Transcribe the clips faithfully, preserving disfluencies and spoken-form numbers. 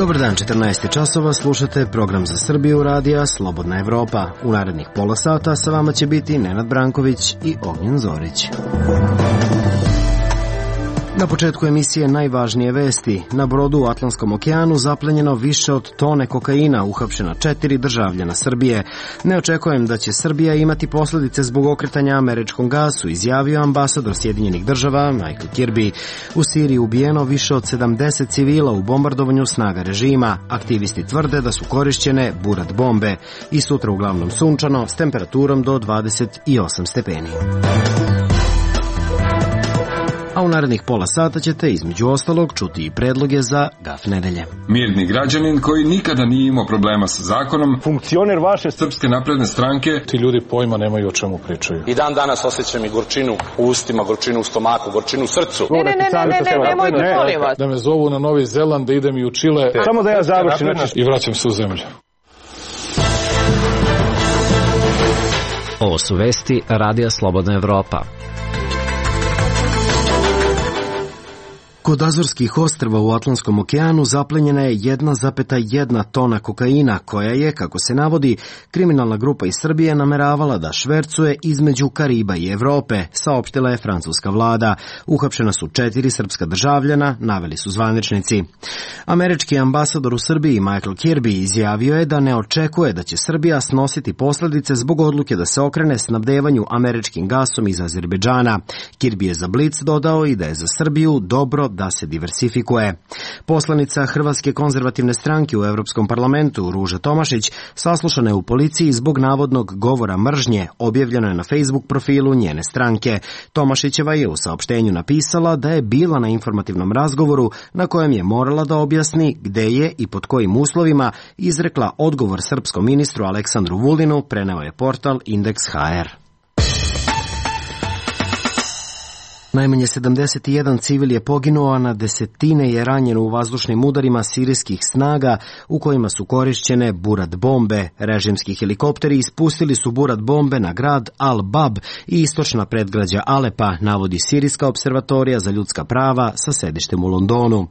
Dobar dan, četrnaest časova, slušate program za Srbiju radija Slobodna Evropa. U narednih pola sata sa vama će biti Nenad Branković i Ognjen Zorić. Na početku emisije najvažnije vesti. Na brodu u Atlantskom okeanu zaplenjeno više od tone kokaina, uhapšena četiri državljana Srbije. Ne očekujem da će Srbija imati posljedice zbog okretanja američkom gasu, izjavio ambasador Sjedinjenih država Michael Kirby. U Siriji ubijeno više od sedamdeset civila u bombardovanju snaga režima. Aktivisti tvrde da su korišćene burat bombe. I sutra uglavnom sunčano s temperaturom do dvadeset osam stepeni. A u narednih pola sata ćete između ostalog čuti i predloge za gaf nedelje. Mirni građanin koji nikada nije imao problema sa zakonom, funkcioner vaše Srpske napredne stranke. Ti ljudi pojma nemaju o čemu pričaju. I dan danas osjećam i gorčinu u ustima, gorčinu u stomaku, gorčinu u srcu. Ne, ne, ne, ne, ne, ne, nemojte, molim vas. Da me zovu na Novi Zeland, da idem i u Čile. Samo da ja završim i vraćam se u zemlju. Ovo su vesti Radija Slobodna Evropa. Kod Azorskih ostrva u Atlantskom okeanu zaplenjena je jedna zarez jedna tona kokaina, koja je, kako se navodi, kriminalna grupa iz Srbije nameravala da švercuje između Kariba i Evrope, saopštila je francuska vlada. Uhapšena su četiri srpska državljana, naveli su zvaničnici. Američki ambasador u Srbiji Michael Kirby izjavio je da ne očekuje da će Srbija snositi posljedice zbog odluke da se okrene snabdevanju američkim gasom iz Azerbejdžana. Kirby je za Blic dodao i da je za Srbiju dobro da se diversifikuje. Poslanica Hrvatske konzervativne stranke u Evropskom parlamentu Ruža Tomašić saslušana je u policiji zbog navodnog govora mržnje, objavljeno je na Facebook profilu njene stranke. Tomašićeva je u saopštenju napisala da je bila na informativnom razgovoru na kojem je morala da objasni gde je i pod kojim uslovima izrekla odgovor srpskom ministru Aleksandru Vulinu, preneo je portal Indeks ha er. Najmanje sedamdeset jedan civil je poginuo, a na desetine je ranjeno u vazdušnim udarima sirijskih snaga u kojima su korišćene burat bombe. Režimski helikopteri ispustili su burat bombe na grad Al-Bab i istočna predgrađa Alepa, navodi Sirijska observatorija za ljudska prava sa sedištem u Londonu.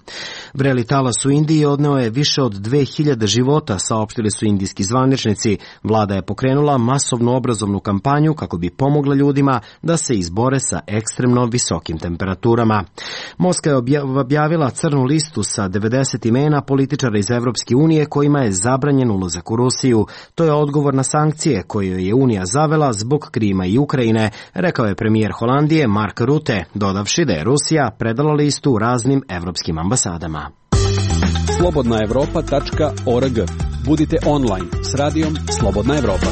Vreli talas u Indiji odneo je više od dve hiljade života, saopštili su indijski zvaničnici. Vlada je pokrenula masovnu obrazovnu kampanju kako bi pomogla ljudima da se izbore sa ekstremno visokim visokim temperaturama. Moskva je objavila crnu listu sa devedeset imena političara iz Evropske unije kojima je zabranjen ulazak u Rusiju. To je odgovor na sankcije koje je Unija zavela zbog Krima i Ukrajine, rekao je premijer Holandije Mark Rutte, dodavši da je Rusija predala listu raznim evropskim ambasadama. slobodna evropa tačka org. Budite online s radijom Slobodna Evropa.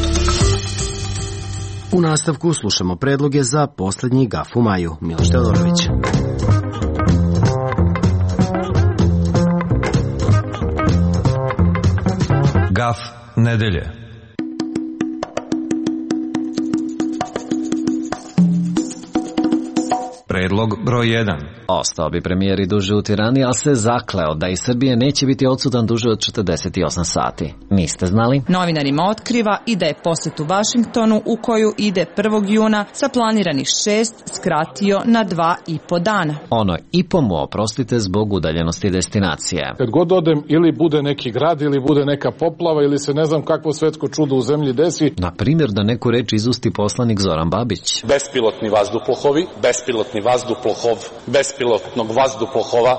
U nastavku slušamo predloge za posljednji gaf u maju. Miloš Teodorović. Gaf nedelje. Predlog broj jedan. Ostao bi premijer i duže u Tirani, ali se zakleo da iz Srbije neće biti odsutan duže od četrdeset osam sati. Niste znali? Novinarima otkriva i da je posjet u Vašingtonu, u koju ide prvog juna, sa planiranih šest skratio na dva i po dana. Ono i po mu oprostite zbog udaljenosti destinacije. Kad god odem, ili bude neki grad, ili bude neka poplava, ili se ne znam kakvo svetsko čudo u zemlji desi. Na primjer da neku reč izusti poslanik Zoran Babić. Bespilotni vazduplohovi, bespilotni vazduplохov, bespilotnog vazduplохova,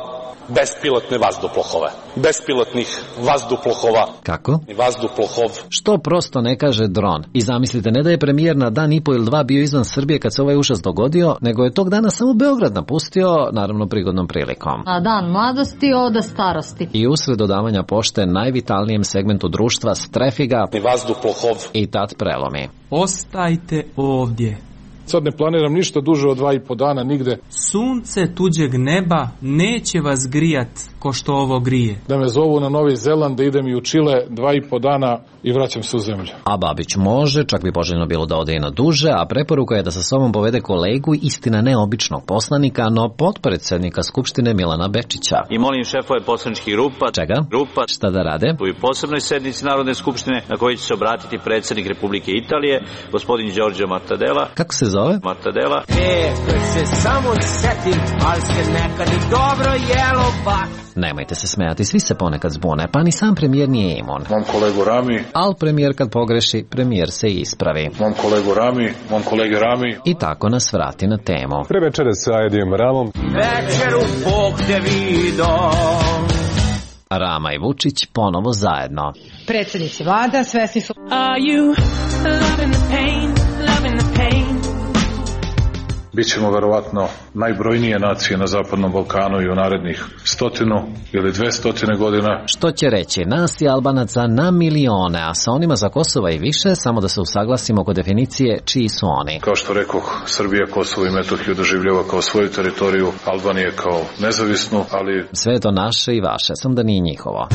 bespilotne vazduplохove, bespilotnih vazduplохova. Kako? Vazduplохov. Što prosto ne kaže dron? I zamislite, ne da je premijer na dan i po ili dva bio izvan Srbije kad se ovaj užas dogodio, nego je tog dana samo Beograd napustio, naravno prigodnom prilikom. A dan mladosti oda starosti. I usred dodavanja pošte najvitalnijem segmentu društva strefi ga vazduplохov i tad prelomi. Ostajte ovdje. Sad ne planiram ništa duže od dva i po dana nigde. Sunce tuđeg neba neće vas grijat ko što ovo grije. Da me zovu na Novi Zeland, da idem i u Čile dva i po dana i vraćam se u zemlju. A Babić može, čak bi poželjno bilo da ode i na duže, a preporuka je da sa sobom povede kolegu, istina neobičnog poslanika, no potpredsjednika Skupštine Milana Bečića. I molim šefove poslaničkih grupa. Čega? Grupa. Šta da rade? U posebnoj sednici Narodne skupštine na kojoj će se obratiti predsjednik Republike Italije, gospodin Giorgio Mattarella. Kako se zove zove? Mortadela. E, kad se samo setim, ali se nekad i dobro jelo baš. Nemojte se smijati, svi se ponekad zbune, pa ni sam premijer nije imun. Mom kolegu Rami. Al premijer kad pogreši, premijer se ispravi. Mom kolegu Rami, mom kolege Rami. I tako nas vrati na temu. Pre večere sa Edijem Ramom. Večeru Bog te vido. Rama i Vučić ponovo zajedno. Predsjednici vlada svesni su... Are you loving the pain, loving the pain? Bićemo verovatno najbrojnije nacije na Zapadnom Balkanu i u narednih stotinu ili dve stotine godina. Što će reći, nas i Albanaca na milione, a sa onima za Kosova i više, samo da se usaglasimo oko definicije čiji su oni. Kao što rekoh, Srbija Kosovo i Metohiju doživljava kao svoju teritoriju, Albanije kao nezavisnu, ali... Sve je to naše i vaše, samo da nije njihovo.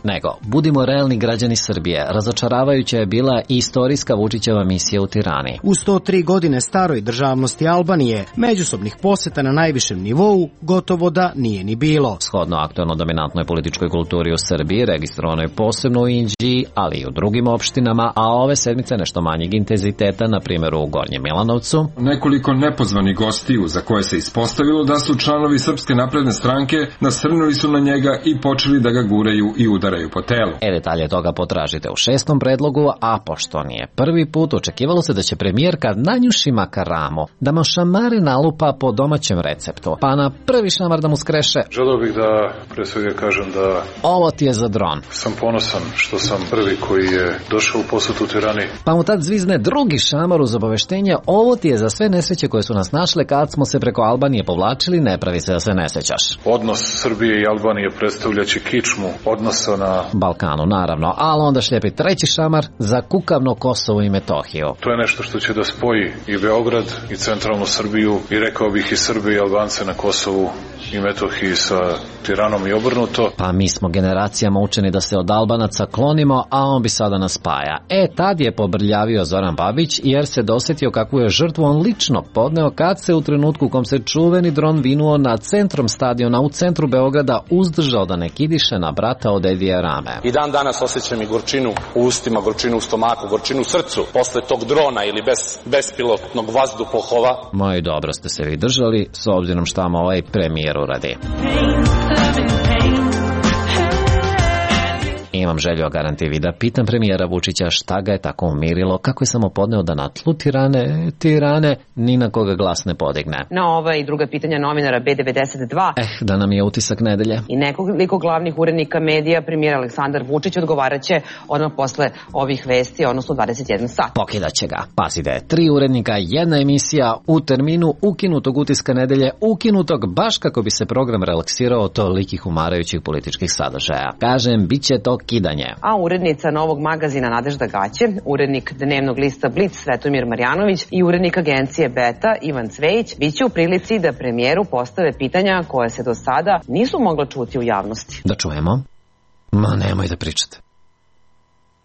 Nego, budimo realni građani Srbije, razočaravajuća je bila i istorijska Vučićeva misija u Tirani. U sto tri godine staroj državnosti Albanije, međusobnih poseta na najvišem nivou gotovo da nije ni bilo. Shodno aktualno dominantnoj političkoj kulturi u Srbiji, registrovano je posebno u Inđiji, ali i u drugim opštinama, a ove sedmice nešto manjeg intenziteta, na primjer u Gornjem Milanovcu. Nekoliko nepozvanih gostiju za koje se ispostavilo da su članovi Srpske napredne stranke nasrnuli su na njega i počeli da ga guraju i udaraju po telu. E, detalje toga potražite u šestom predlogu, a pošto nije prvi put, očekivalo se da će premijerka nanjuši makaramu, da mu šamare nalupa po domaćem receptu, pa na prvi šamar da mu skreše. Želeo bih da pre svega kažem da... Ovo ti je za dron. Sam ponosan što sam prvi koji je došao u posetu u Tirani. Pa mu tad zvizne drugi šamar uz obaveštenje, ovo ti je za sve nesreće koje su nas našle kad smo se preko Albanije povlačili, ne pravi se da se ne sećaš. Odnos Srbije i Albanije predstavljaće kičmu odnosa na Balkanu, naravno, ali onda šljepi treći šamar za kukavno Kosovo i Metohiju. To je nešto što će da spoji i Beograd i centralnu Srbiju i rekao bih i Srbe i Albance na Kosovu i Metohiji sa Tiranom i obrnuto. Pa mi smo generacijama učeni da se od Albanaca klonimo, a on bi sada nas spaja. E, tad je pobrljavio Zoran Babić jer se dosjetio kakvu je žrtvu on lično podneo kad se u trenutku u kom se čuveni dron vinuo na centrom stadiona u centru Beograda uzdržao da ne kidiše na brata od Edija Rame. I dan danas osjećam i gorčinu u ustima, gorčinu u stomaku, gorčinu u srcu posle tog drona ili bez, bespilotnog vazduhoplova. Moji, dobro ste se vi držali, s obzirom šta vam ovaj premijer uradi. Imam želju o garantivi da pitam premijera Vučića šta ga je tako umirilo, kako je samo podneo da na tlu Tirane, Tirane, ni na koga glas ne podigne. Na ova i druga pitanja novinara B devedeset dva. Eh, da nam je utisak nedelje. I nekoliko glavnih urednika medija, premijer Aleksandar Vučić odgovaraće odmah posle ovih vesti, odnosno dvadeset jedan sat. Pokidaće ga. Pazite, tri urednika, jedna emisija u terminu ukinutog utiska nedelje, ukinutog baš kako bi se program relaksirao tolikih umarajućih političkih sadržaja. Kažem, bit će to kidanje. A urednica Novog magazina Nadežda Gaće, urednik dnevnog lista Blic Svetomir Marjanović i urednik agencije Beta Ivan Cvejić biće u prilici da premijeru postave pitanja koje se do sada nisu mogla čuti u javnosti. Da čujemo? Ma nemoj da pričate.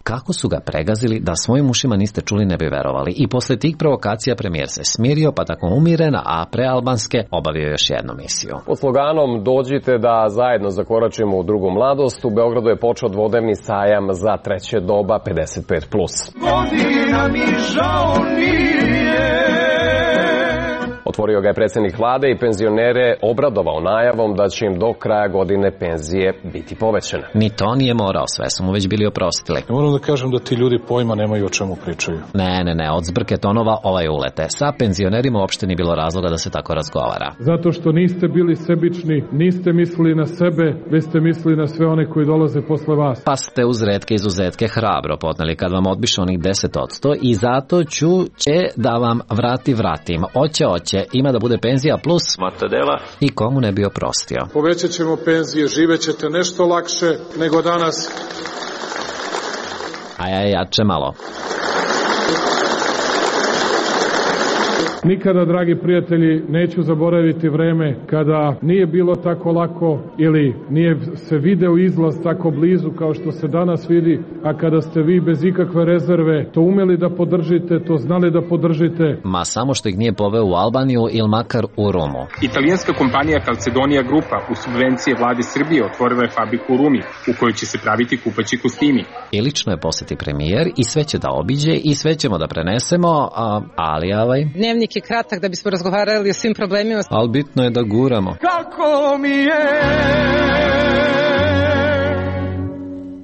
Kako su ga pregazili da svojim ušima niste čuli ne bi verovali. I posle tih provokacija premijer se smirio, pa tako umirena, a pre albanske obavio još jednu misiju. Pod sloganom dođite da zajedno zakoračimo u drugu mladost, u Beogradu je počeo dvodnevni sajam za treće doba pedeset pet plus. Godina mi žao nije. Otvorio ga je predsjednik vlade i penzionere obradovao najavom da će im do kraja godine penzije biti povećane. Ni to nije morao, sve su mu već bili oprostili. Moram da kažem da ti ljudi pojma nemaju o čemu pričaju. Ne, ne, ne, od zbrke tonova ovaj ulete. Sa penzionerima uopšte ni bilo razloga da se tako razgovara. Zato što niste bili sebični, niste mislili na sebe, već ste mislili na sve one koji dolaze posle vas. Pa ste uz retke izuzetke hrabro podneli kad vam odbiše onih deset odsto i zato ću će da vam vrati vratim. Oće, oće. Ima da bude penzija plus Mortadela. I komu ne bi oprostio. Povećat ćemo penzije, živećete nešto lakše nego danas. A ja jače malo. Nikada, dragi prijatelji, neću zaboraviti vreme kada nije bilo tako lako ili nije se video izlaz tako blizu kao što se danas vidi, a kada ste vi bez ikakve rezerve to umeli da podržite, to znali da podržite. Ma samo što ih nije poveo u Albaniju ili makar u Rumu. Italijanska kompanija Calcedonia Grupa u subvencije vlade Srbije otvorila je fabriku u Rumi u kojoj će se praviti kupaći kostimi. I lično je posjeti premijer i sve će da obiđe i sve ćemo da prenesemo, a, ali ovaj... Dnevnik je kratak da bismo razgovarali o svim problemima. Ali bitno je da guramo. Kako mi je?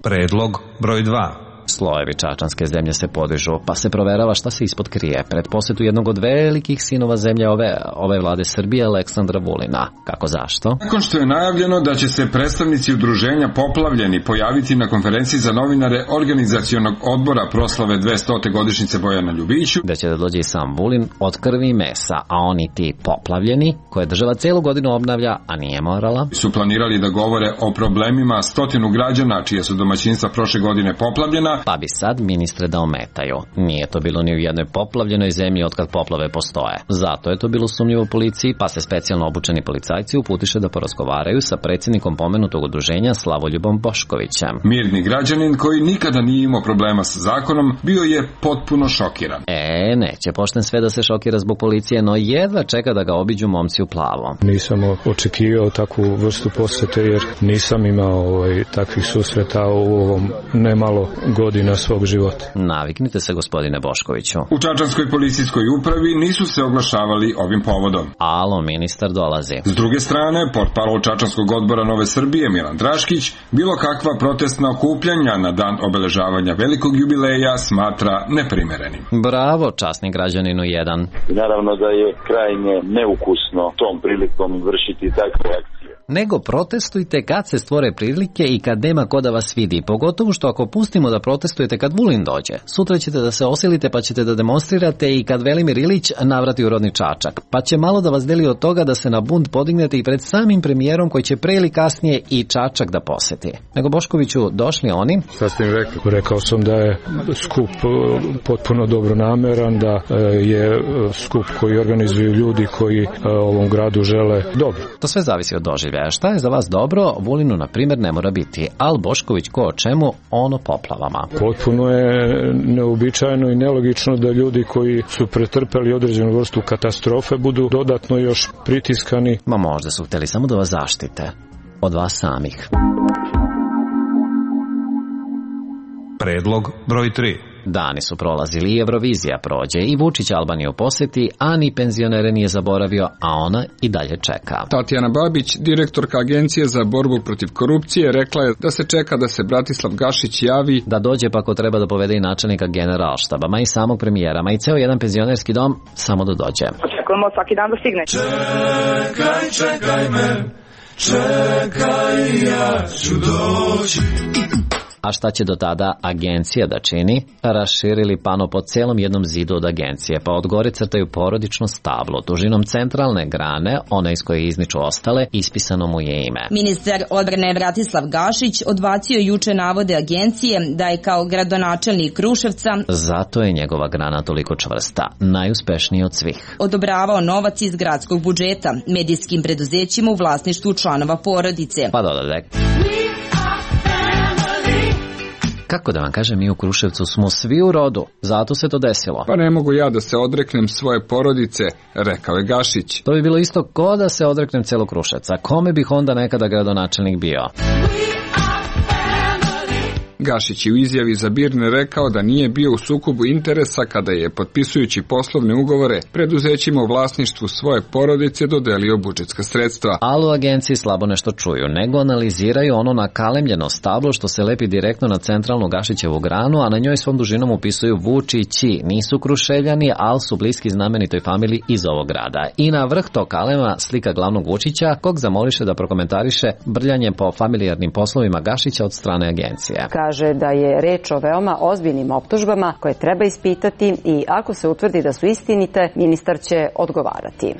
Predlog broj dva. Slojevi čačanske zemlje se podižu, pa se proverava šta se ispod krije pred posjetu jednog od velikih sinova zemlje ove, ove vlade Srbije, Aleksandra Vulina. Kako zašto? Nakon što je najavljeno da će se predstavnici udruženja Poplavljeni pojaviti na konferenciji za novinare organizacionog odbora proslave dvestote godišnjice Bojana Ljubiću, da će da dođe i sam Vulin od krvi i mesa, a oni ti poplavljeni, koje država celu godinu obnavlja, a nije morala, su planirali da govore o problemima stotinu građana čije su domaćinstva prošle godine poplavljena, pa bi sad ministre da ometaju. Nije to bilo ni u jednoj poplavljenoj zemlji otkad poplave postoje. Zato je to bilo sumnjivo policiji, pa se specijalno obučeni policajci uputiše da porazgovaraju sa predsjednikom pomenutog udruženja Slavoljubom Boškovićem. Mirni građanin koji nikada nije imao problema sa zakonom bio je potpuno šokiran. E, neće pošten sve da se šokira zbog policije, no jedva čeka da ga obiđu momci u plavo. Nisam očekivao takvu vrstu posjete jer nisam imao ovaj, takvih susreta u ovom nemalo godina svog života. Naviknite se, gospodine Boškoviću. U čačanskoj policijskoj upravi nisu se oglašavali ovim povodom. Alo, ministar dolazi. S druge strane, portparol Čačanskog odbora Nove Srbije Milan Draškić bilo kakva protestna okupljanja na dan obeležavanja velikog jubileja smatra neprimerenim. Bravo, časni građaninu jedan. Naravno da je krajnje neukusno tom prilikom vršiti takve akcije. Nego protestujte kad se stvore prilike i kad nema ko da vas vidi. Pogotovo što ako pustimo da protestujete kad Vulin dođe. Sutra ćete da se osilite pa ćete da demonstrirate i kad Velimir Ilić navrati u rodni Čačak. Pa će malo da vas deli od toga da se na bunt podignete i pred samim premijerom koji će pre ili kasnije i Čačak da poseti. Nego Boškoviću, došli oni? Šta ste im rekli? Rekao sam da je skup potpuno dobronameran, da je skup koji organizuju ljudi koji ovom gradu žele dobro. To sve zavisi od doživljaja. Šta je za vas dobro, Vulinu, na primjer, ne mora biti, ali Bošković ko o čemu, ono poplavama. Potpuno je neobičajno i nelogično da ljudi koji su pretrpeli određenu vrstu katastrofe budu dodatno još pritiskani. Ma možda su hteli samo da vas zaštite. Od vas samih. Predlog broj tri. Dani su prolazili i Eurovizija prođe i Vučić Albaniju posjeti, a ni penzionere nije zaboravio, a ona i dalje čeka. Tatjana Babić, direktorka Agencije za borbu protiv korupcije, rekla je da se čeka da se Bratislav Gašić javi. Da dođe pa ako treba da povede i načelnika generalštaba, ma i samog premijera, ma i ceo jedan penzionerski dom, samo da dođe. Očekujemo svaki dan da stigne. Čekaj, čekaj me, čekaj, ja ću doći. A šta će do tada agencija da čini? Raširili pano po celom jednom zidu od agencije, pa od gore crtaju porodično stablo. Dužinom centralne grane, ona iz koje izniču ostale, ispisano mu je ime. Ministar odbrane Bratislav Gašić odbacio juče navode agencije da je kao gradonačelnik Kruševca, zato je njegova grana toliko čvrsta, najuspešniji od svih, odobravao novac iz gradskog budžeta medijskim preduzećima u vlasništvu članova porodice. Pa dodade. Kako da vam kažem, mi u Kruševcu smo svi u rodu, zato se to desilo. Pa ne mogu ja da se odreknem svoje porodice, rekao je Gašić. To bi bilo isto ko da se odreknem celog Kruševca. Kome bih onda nekada gradonačelnik bio? Gašić je u izjavi za Birne rekao da nije bio u sukobu interesa kada je, potpisujući poslovne ugovore, preduzećima u vlasništvu svoje porodice dodelio budžetska sredstva. Ali u agenciji slabo nešto čuju, nego analiziraju ono nakalemljeno stablo što se lepi direktno na centralnu Gašićevu granu, a na njoj svom dužinom upisuju Vučići. Nisu Kruševljani, ali su bliski znamenitoj familiji iz ovog grada. I na vrh tog kalema slika glavnog Vučića, kog zamoliše da prokomentariše brljanje po familijarnim poslovima Gašića od strane agencije. Kaže da je reč o veoma ozbiljnim optužbama koje treba ispitati i ako se utvrdi da su istinite, ministar će odgovarati.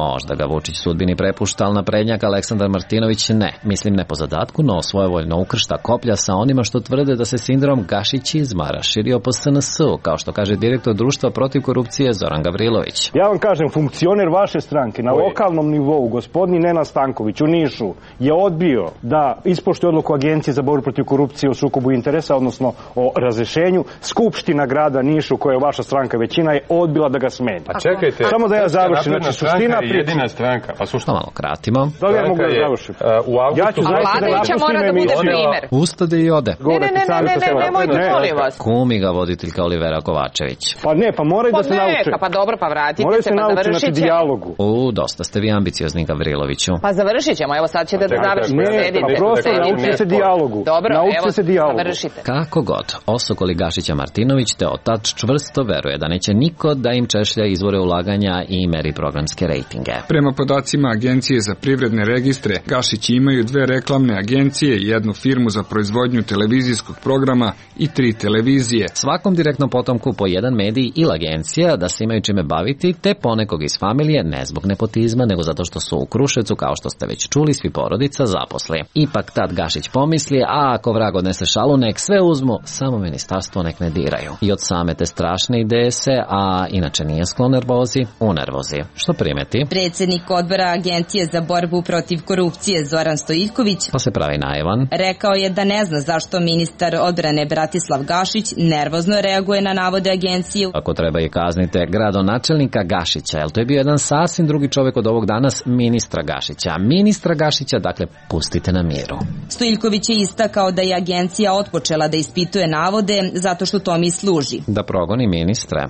Možda ga Vučić sudbini prepušta, ali naprednjak Aleksandar Martinović ne. Mislim ne po zadatku, no svojevoljno ukršta koplja sa onima što tvrde da se sindrom Gašićizma raširio po S N S-u, kao što kaže direktor društva protiv korupcije Zoran Gavrilović. Ja vam kažem, funkcioner vaše stranke na lokalnom nivou, gospodin Nenad Stanković u Nišu, je odbio da ispoštuje odluku Agencije za borbu protiv korupcije o sukobu interesa, odnosno o razrešenju. Skupština grada Nišu, koja je vaša stranka većina, je odbila da ga smeni. A čekajte, samo da ja završim. Znači, suština je jedina stranka. Pa sušta malo kratimo. Da li ja mogu da završim? Uh, ja ću zaista da napustim emisiju. Ustade i ode. Ne, ne, ne, ne, ne, nemojte, molim vas. Kumi ga voditeljka Olivera Kovačević. Pa ne, pa moraju da se nauče. Pa dobro, pa vratite moraju se, se pa završit ćemo. Dijalogu. U, dosta ste vi ambiciozni, Gavriloviću. Pa završit ćemo, evo sad ćete da završite. Ne, pa prosto naučite se dijalogu. Dobro, naučite evo, se dijalogu. završite. Kako god, osokoli Gašića Martinović te otac čvrsto veruje da neće niko da im češlja izvore ulaganja i meri programske rejtinge. Prema podacima Agencije za privredne registre, Gašići imaju dve reklamne agencije, jednu firmu za proizvodnju televizijskog programa i tri televizije. Svakom direktnom potomku po jedan medij ili agencija da se imaju čime baviti, te ponekog iz familije, ne zbog nepotizma, nego zato što su u Kruševcu, kao što ste već čuli, svi porodica zaposli. Ipak tad Gašić pomisli, a ako vrag odnese šalu, nek sve uzmu, samo ministarstvo nek ne diraju. I od same te strašne ideje se, a inače nije sklon nervozi, u nervozi. Što primeti? Predsjednik odbora Agencije za borbu protiv korupcije Zoran Stojiljković pa se pravi naivan. Rekao je da ne zna zašto ministar odbrane Bratislav Gašić nervozno reaguje na navode agencije. Ako treba i kaznite gradonačelnika Gašića, jer to je bio jedan sasvim drugi čovjek od ovog danas, ministra Gašića. Ministra Gašića, dakle, pustite na miru. Stojiljković je istakao da je agencija otpočela da ispituje navode zato što to mi služi. Da progoni ministre.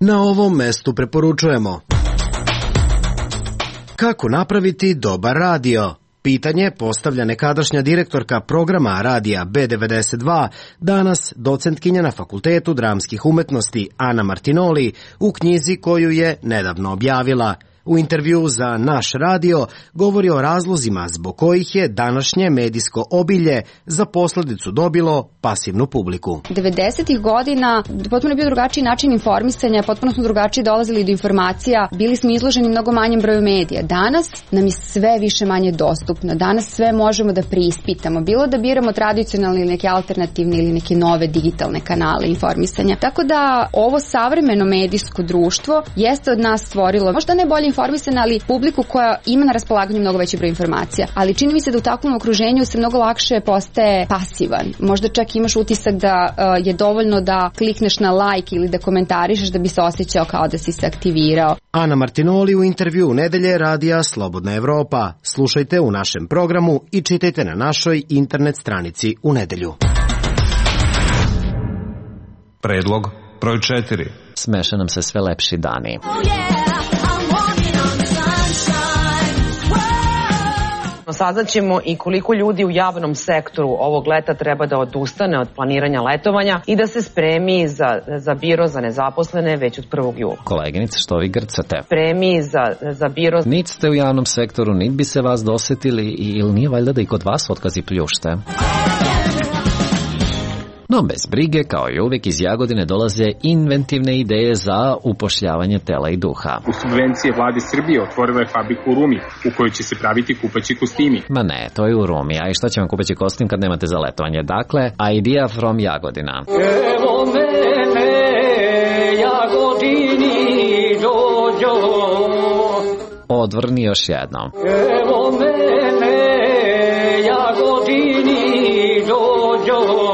Na ovom mestu preporučujemo kako napraviti dobar radio. Pitanje postavlja nekadašnja direktorka programa radija B devedeset dva, danas docentkinja na Fakultetu dramskih umetnosti Ana Martinoli u knjizi koju je nedavno objavila. U intervju za Naš radio govori o razlozima zbog kojih je današnje medijsko obilje za posljedicu dobilo pasivnu publiku. devedesetih godina potpuno je bio drugačiji način informisanja, potpuno smo drugačije dolazili do informacija, bili smo izloženi mnogo manjem broju medija. Danas nam je sve više manje dostupno, danas sve možemo da preispitamo, bilo da biramo tradicionalne ili neke alternativne ili neke nove digitalne kanale informisanja. Tako da ovo savremeno medijsko društvo jeste od nas stvorilo, možda ne bolje informisana, ali publiku koja ima na raspolaganju mnogo veći broj informacija. Ali čini mi se da u takvom okruženju se mnogo lakše postaje pasivan. Možda čak imaš utisak da uh, je dovoljno da klikneš na like ili da komentarišeš da bi se osjećao kao da si se aktivirao. Ana Martinoli u intervju nedelje radija Slobodna Evropa. Slušajte u našem programu i čitajte na našoj internet stranici u nedelju. Predlog broj četiri. Smeša nam se sve lepši dani. Saznaćemo i koliko ljudi u javnom sektoru ovog leta treba da odustane od planiranja letovanja i da se spremi za, za biro za nezaposlene već od prvog jula. Koleginice, što vi grcate? Spremi za, za biro... Nit ste u javnom sektoru, nit bi se vas dosetili, ili nije valjda da i kod vas otkazi pljušte? No bez brige, kao i uvijek, iz Jagodine dolaze inventivne ideje za upošljavanje tela i duha. U subvencije vlade Srbije otvorila je fabriku u Rumi, u kojoj će se praviti kupaći kostimi. Ma ne, to je u Rumi, a i šta će vam kupaći kostim kad nemate za letovanje? Dakle, idea from Jagodina. Evo mene, Jagodini dođo. Odvrni još jednom. Evo mene, Jagodini dođo.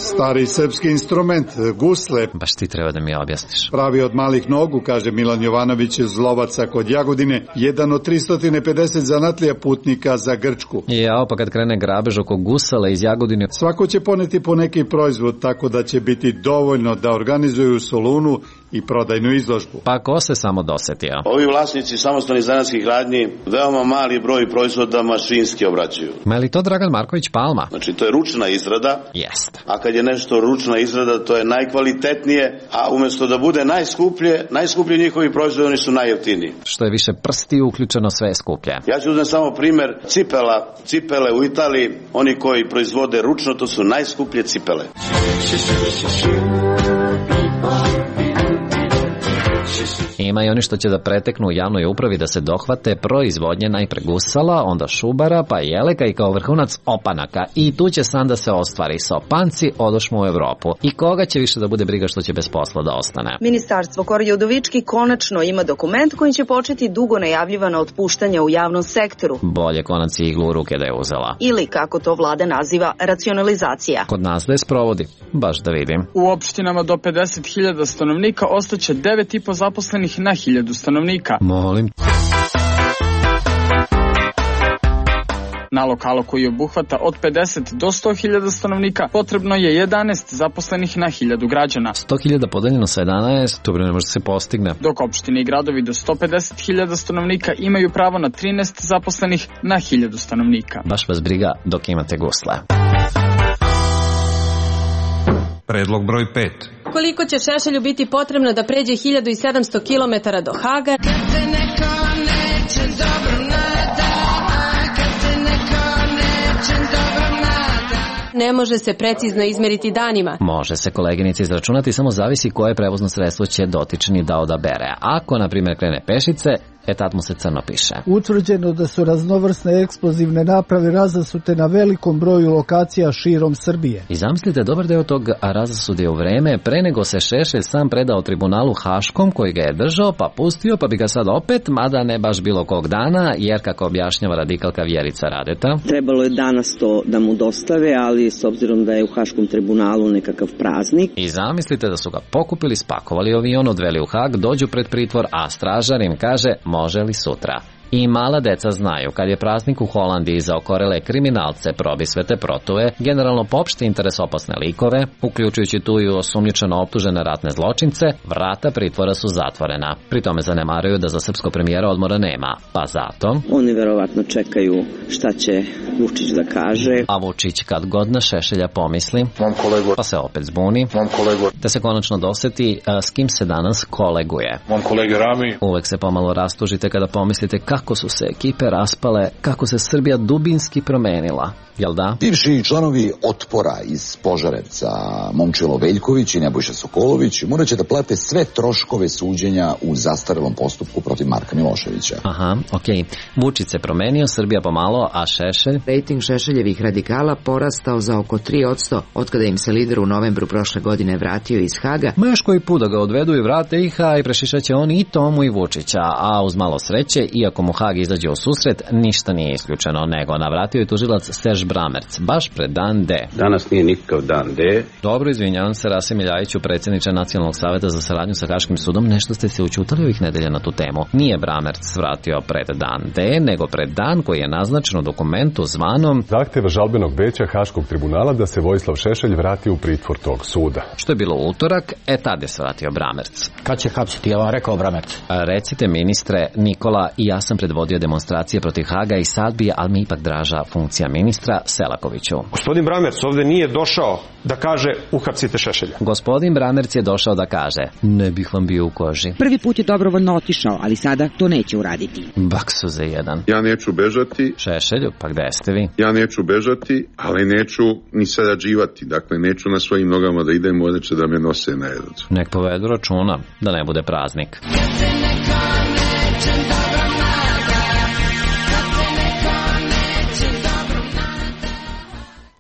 Stari srpski instrument, gusle. Baš ti treba da mi objasniš. Pravi od malih nogu, kaže Milan Jovanović iz Lovaca kod Jagodine, jedan od tristo pedeset zanatlija putnika za Grčku. Jao, pa kad krene grabež oko gusala iz Jagodine... Svako će poneti po neki proizvod, tako da će biti dovoljno da organizuju u Solunu i prodajnu izložbu. Pa ko se samo dosetio? Ovi vlasnici samostalnih zanatskih radnji veoma mali broj proizvoda mašinski obraćaju. Ma je li to Dragan Marković Palma? Znači to je ručna izrada. Jest. A kad je nešto ručna izrada, to je najkvalitetnije, a umjesto da bude najskuplje, najskuplji njihovi proizvodi, oni su najjeftiniji. Što je više prsti uključeno, sve je skuplje. Ja ću uzeti samo primjer cipela. Cipele u Italiji, oni koji proizvode ručno, to su najskuplje cipele. ima i oni što će da preteknu u javnoj upravi da se dohvate proizvodnje najpre gusala, onda šubara, pa jeleka i kao vrhunac opanaka. I tu će san da se ostvari. Sa opanci odošmo u Evropu. I koga će više da bude briga što će bez posla da ostane? Ministarstvo Korje Udovički konačno ima dokument kojim će početi dugo najavljivana otpuštanja u javnom sektoru. Bolje konac i iglu u ruke da je uzela. Ili, kako to vlada naziva, racionalizacija. Kod nas da je sprovodi. Baš da vidim. U opštinama do pedeset hiljada stanovnika ostaće devet i po zaposlenih na hiljadu stanovnika. Molim. Na lokalu koji obuhvata od pedeset do sto hiljada stanovnika potrebno je jedanaest zaposlenih na hiljadu građana. sto hiljada podeljeno sa jedanaest, to ne može se postigne. Dok opštine i gradovi do sto pedeset hiljada stanovnika imaju pravo na trinaest zaposlenih na hiljadu stanovnika. Baš vas briga dok imate gusle. Predlog broj pet. Koliko će Šešelju biti potrebno da pređe hiljadu sedamsto kilometara do Haga? Ne može se precizno izmeriti danima. Može se, koleginice, izračunati, samo zavisi koje prevozno sredstvo će dotični da odabere. Ako, na primjer, krene pešice, e tad mu se crno piše. Utvrđeno da su raznovrsne eksplozivne naprave razasute na velikom broju lokacija širom Srbije. I zamislite, dobar deo tog razasude u vreme pre nego se Šešelj sam predao tribunalu Haškom koji ga je držao, pa pustio, pa bi ga sad opet, mada ne baš bilo kog dana, jer kako objašnjava radikalka Vjerica Radeta. Trebalo je danas to da mu dostave, ali s obzirom da je u Haškom tribunalu nekakav praznik. I zamislite da su ga pokupili, spakovali avion, odveli u Hag, dođu pred pritvor, a stražar im kaže može li sutra. I mala deca znaju, kad je praznik u Holandiji za okorele kriminalce, probisvete, protuje, generalno popšte interes opasne likove, uključujući tu i osumnjičeno optužene ratne zločince, vrata pritvora su zatvorena. Pri tome zanemaruju da za srpsko premijera odmora nema, pa zato... Oni verovatno čekaju šta će Vučić da kaže. A Vučić kad god na Šešelja pomisli, kolegu, pa se opet zbuni, te se konačno doseti a, s kim se danas koleguje. Mom kolege Rami. Uvek se pomalo rastužite kada pomislite kako su se ekipe raspale, kako se Srbija dubinski promenila. Jel da? Bivši članovi Otpora iz Požarevca, Momčilo Veljković i Nebojša Sokolović, morat će da plate sve troškove suđenja u zastarelom postupku protiv Marka Miloševića. Aha, okej. Okay. Vučić se promenio, Srbija pomalo, a Šešelj? Rating Šešeljevih radikala porastao za oko tri posto otkada im se lider u novembru prošle godine vratio iz Haga. Ma još koji put da ga odvedu i vrate ih, a i prešišaće on i Tomu i Vučića, a uz malo sreće, iako mu Hag izađe u susret, ništa nije isključeno, nego navratio je tužilac Serž Bramerc, baš pred dan D. Danas nije nikakav dan D. Dobro, izvinjavam se, Rasim Iljajiću, predsjedniče Nacionalnog saveta za saradnju sa Haškim sudom, nešto ste se učutali ovih nedelja na tu temu. Nije Bramerc vratio pred dan D, nego pred dan koji je naznačen u dokumentu zvanom zahteva žalbenog veća Haškog tribunala da se Vojislav Šešelj vrati u pritvor tog suda. Što je bilo utorak, e tad je svratio Bramerc. Kad će hapsiti, ja vam rekao Bramerc? A, recite, ministre, Nikola i ja sam predvodio demonstracije protiv Haga i sad bi, ali mi ipak draža funkcija ministra, Selakoviću. Gospodin Bramerc ovde nije došao da kaže uhapsite Šešelja. Gospodin Bramerc je došao da kaže ne bih vam bio u koži. Prvi put je dobrovoljno otišao, ali sada to neće uraditi. Baksu za jedan. Ja neću bežati. Šešelju, pa gde ste vi? Ja neću bežati, ali neću ni sarađivati. Dakle, neću na svojim nogama da idem, ovdje će da me nose na jedu. Nek povedu računa da ne bude praznik.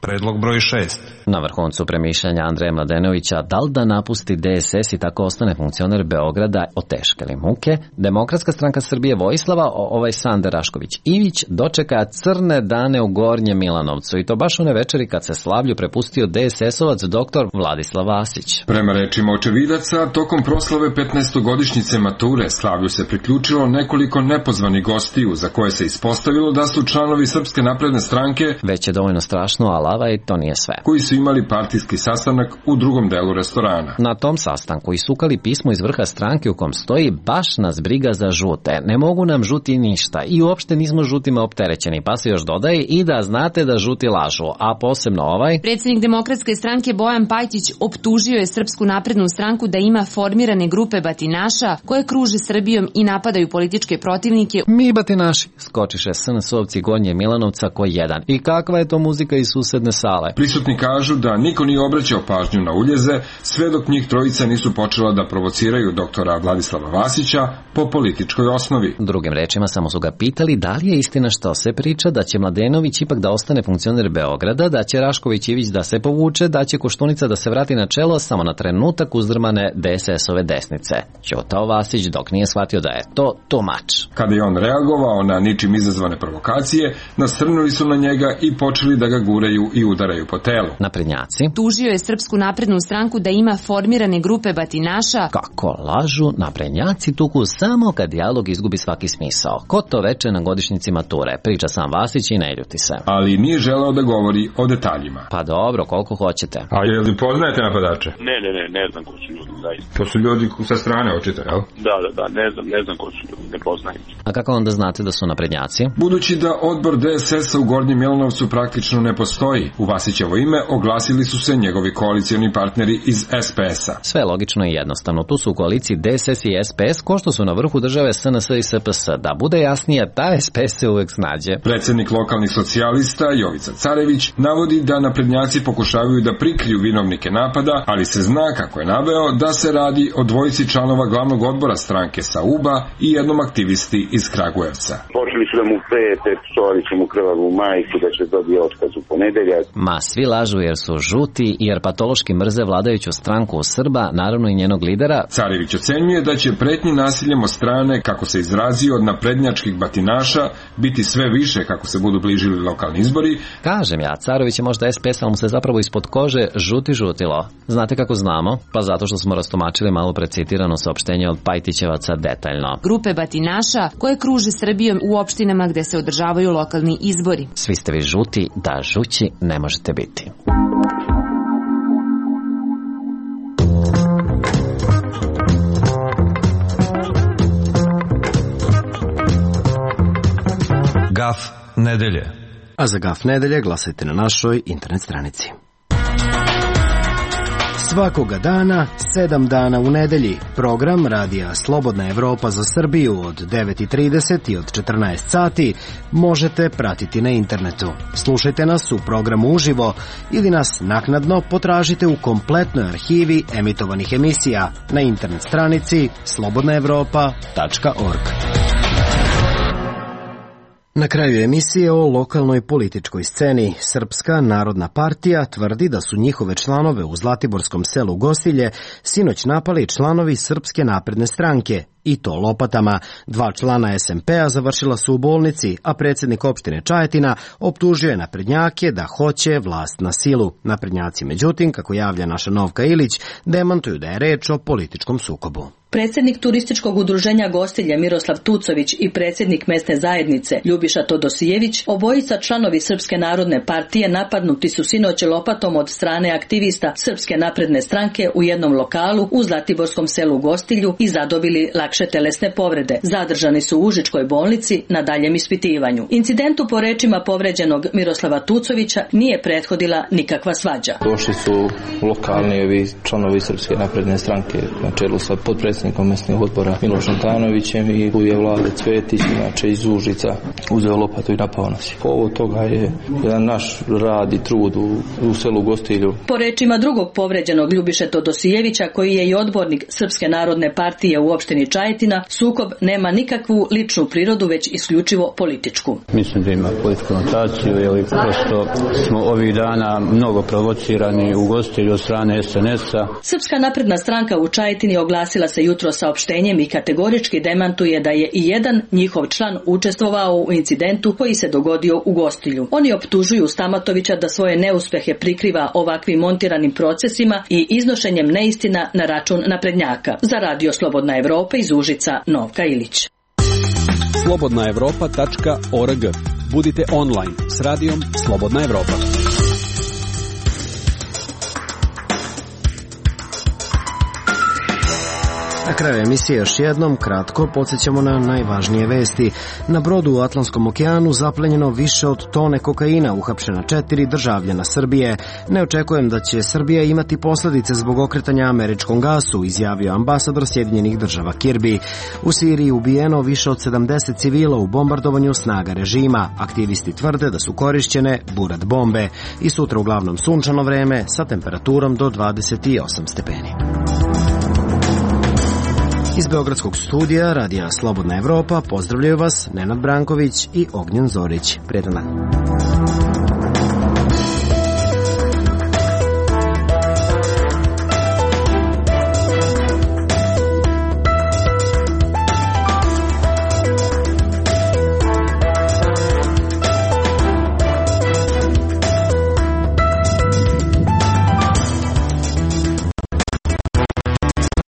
Predlog broj šest. Na vrhuncu premišljanja Andreja Mladenovića, da li da napusti D S S i tako ostane funkcioner Beograda oteškali muke, Demokratska stranka Srbije Vojislava, ovaj Sande Rašković-Ivić, dočeka crne dane u Gornjem Milanovcu i to baš one večeri kad se slavlju prepustio D S S-ovac doktor Vladislav Vasić. Prema rečima očevidaca, tokom proslave petnaestogodišnjice mature slavlju se priključilo nekoliko nepozvanih gostiju za koje se ispostavilo da su članovi Srpske napredne stranke, već je dovoljno strašno, a lava i to nije sve, koji su imali partijski sastanak u drugom delu restorana. Na tom sastanku isukali pismo iz vrha stranke u kom stoji baš nas briga za žute, ne mogu nam žuti ništa i uopšte nismo žutima opterećeni, pa se još dodaje i da znate da žuti lažu, a posebno ovaj. Predsjednik Demokratske stranke Bojan Pajtić optužio je Srpsku naprednu stranku da ima formirane grupe batinaša koje kruže Srbijom i napadaju političke protivnike. Mi batinaši, skočiše S N S-ovci Gornje Milanovca ko jedan. I kakva je to muzika iz susedne sale? Prisutni kažu kažu da niko nije obraćao pažnju na uljeze sve dok njih trojica nisu počela da provociraju doktora Vladislava Vasića po političkoj osnovi. Drugim rečima, samo su ga pitali da li je istina što se priča, da će Mladenović ipak da ostane funkcioner Beograda, da će Rašković Ivić da se povuče, da će Koštunica da se vrati na čelo samo na trenutak uzdrmane D S S-ove desnice. Ćutao Vasić dok nije shvatio da je to too much. Kada je on reagovao na ničim izazvane provokacije, nasrnuli su na njega i počeli da ga guraju i udaraju po telu. Naprednjaci tužio je Srpsku naprednu stranku da ima formirane grupe batinaša. Kako lažu, naprednjaci tuku samo kad dijalog izgubi svaki smisao. Ko to veče na godišnjici mature, priča sam Vasić i ne ljuti se. Ali nije želeo da govori o detaljima. Pa dobro, koliko hoćete. A je li poznajete napadače? Ne, ne, ne, ne znam ko su ljudi, zaista. To su ljudi sa strane očito, jel? Da, da, da, ne znam, ne znam ko su ljudi, ne poznajem. A kako onda znate da su naprednjaci? Budući da odbor D S S-a u Gornjem Milanovcu praktično ne postoji, u Vasićevo ime oglasili su se njegovi koalicioni partneri iz S P S-a. Sve logično i jednostavno. Tu su u koaliciji D S S i S P S, ko što su na vrhu države S N S i S P S. Da bude jasnije, ta S P S se uvek snađe. Predsednik lokalnih socijalista Jovica Carević navodi da naprednjaci pokušavaju da prikriju vinovnike napada, ali se zna, kako je naveo, da se radi o dvojici članova glavnog odbora stranke sa U B A i jednom aktivisti iz Kragujevca. Počeli su da mu prete, psovali su mu krvavu majku, da će dobije otkaz u ponedeljak. Ma svi lažu jer su žuti, jer patološki mrze vladajuću stranku u Srba, naravno i njenog lidera. Carević ocenjuje da će pretnji nasiljem od strane, kako se izrazio, od naprednjačkih batinaša biti sve više kako se budu bližili lokalni izbori. Kažem ja, Carević je možda S P S, ali mu se zapravo ispod kože žuti žutilo. Znate kako znamo? Pa zato što smo rastumačili malo precitirano saopštenje od Pajtićevaca detaljno. Grupe batinaša koje kruže Srbijom u opštinama gde se održavaju lokalni izbori. Svi ste vi žuti, da žući ne možete biti. Gaf nedelje. A za Gaf nedelje glasajte na našoj internet stranici. Svakoga dana, sedam dana u nedelji, program radija Slobodna Evropa za Srbiju od devet i trideset i od četrnaest sati možete pratiti na internetu. Slušajte nas u programu uživo ili nas naknadno potražite u kompletnoj arhivi emitovanih emisija na internet stranici slobodna evropa tačka org. Na kraju emisije o lokalnoj političkoj sceni, Srpska narodna partija tvrdi da su njihove članove u zlatiborskom selu Gostilje sinoć napali članovi Srpske napredne stranke, i to lopatama. Dva člana S M P-a završila su u bolnici, a predsjednik opštine Čajetina optužio je naprednjake da hoće vlast na silu. Naprednjaci, međutim, kako javlja naša Novka Ilić, demantuju da je reč o političkom sukobu. Predsjednik turističkog udruženja Gostilje Miroslav Tucović i predsjednik mesne zajednice Ljubiša Todosijević, obojica članovi Srpske narodne partije, napadnuti su sinoć lopatom od strane aktivista Srpske napredne stranke u jednom lokalu u zlatiborskom selu Gostilju i zadobili lakše telesne povrede. Zadržani su u Užičkoj bolnici na daljem ispitivanju. Incidentu, po rečima povređenog Miroslava Tucovića, nije prethodila nikakva svađa. Došli su lokalni ovi članovi Srpske napredne stranke na čelu sa potpredsjednikom mesnog odbora Milošem Tanovićem i tu je Vlade Cvetić, inače iz Užica, uzeo lopatu i napao nas. Povod toga je jedan naš rad i trud u, u selu Gostilju. Po rečima drugog povređenog Ljubiše Todosijevića, koji je i odbornik Srpske narodne partije u opštini Čajetina, sukob nema nikakvu ličnu prirodu, već isključivo političku. Mislim da ima političku notaciju, jer prosto smo ovih dana mnogo provocirani u Gostilju od strane S N S-a. Srpska napredna stranka u Čajetini oglasila se jutro saopštenjem i kategorički demantuje da je i jedan njihov član učestvovao u incidentu koji se dogodio u Gostilju. Oni optužuju Stamatovića da svoje neuspehe prikriva ovakvim montiranim procesima i iznošenjem neistina na račun naprednjaka. Za Radio Slobodna Evropa iz Užica, Novka Ilić. slobodna evropa tačka org. Budite online s radijom Slobodna Evropa. Na kraju emisije još jednom kratko podsjećamo na najvažnije vesti. Na brodu u Atlantskom okeanu zaplenjeno više od tone kokaina, uhapšena četiri državljana Srbije. Ne očekujem da će Srbija imati posledice zbog okretanja američkom gasu, izjavio ambasador Sjedinjenih država Kirby. U Siriji ubijeno više od sedamdeset civila u bombardovanju snaga režima. Aktivisti tvrde da su korišćene burat bombe. I sutra uglavnom sunčano vreme sa temperaturom do dvadeset osam stepeni. Iz Beogradskog studija Radija Slobodna Evropa pozdravljaju vas Nenad Branković i Ognjen Zorić. Prijetan dan.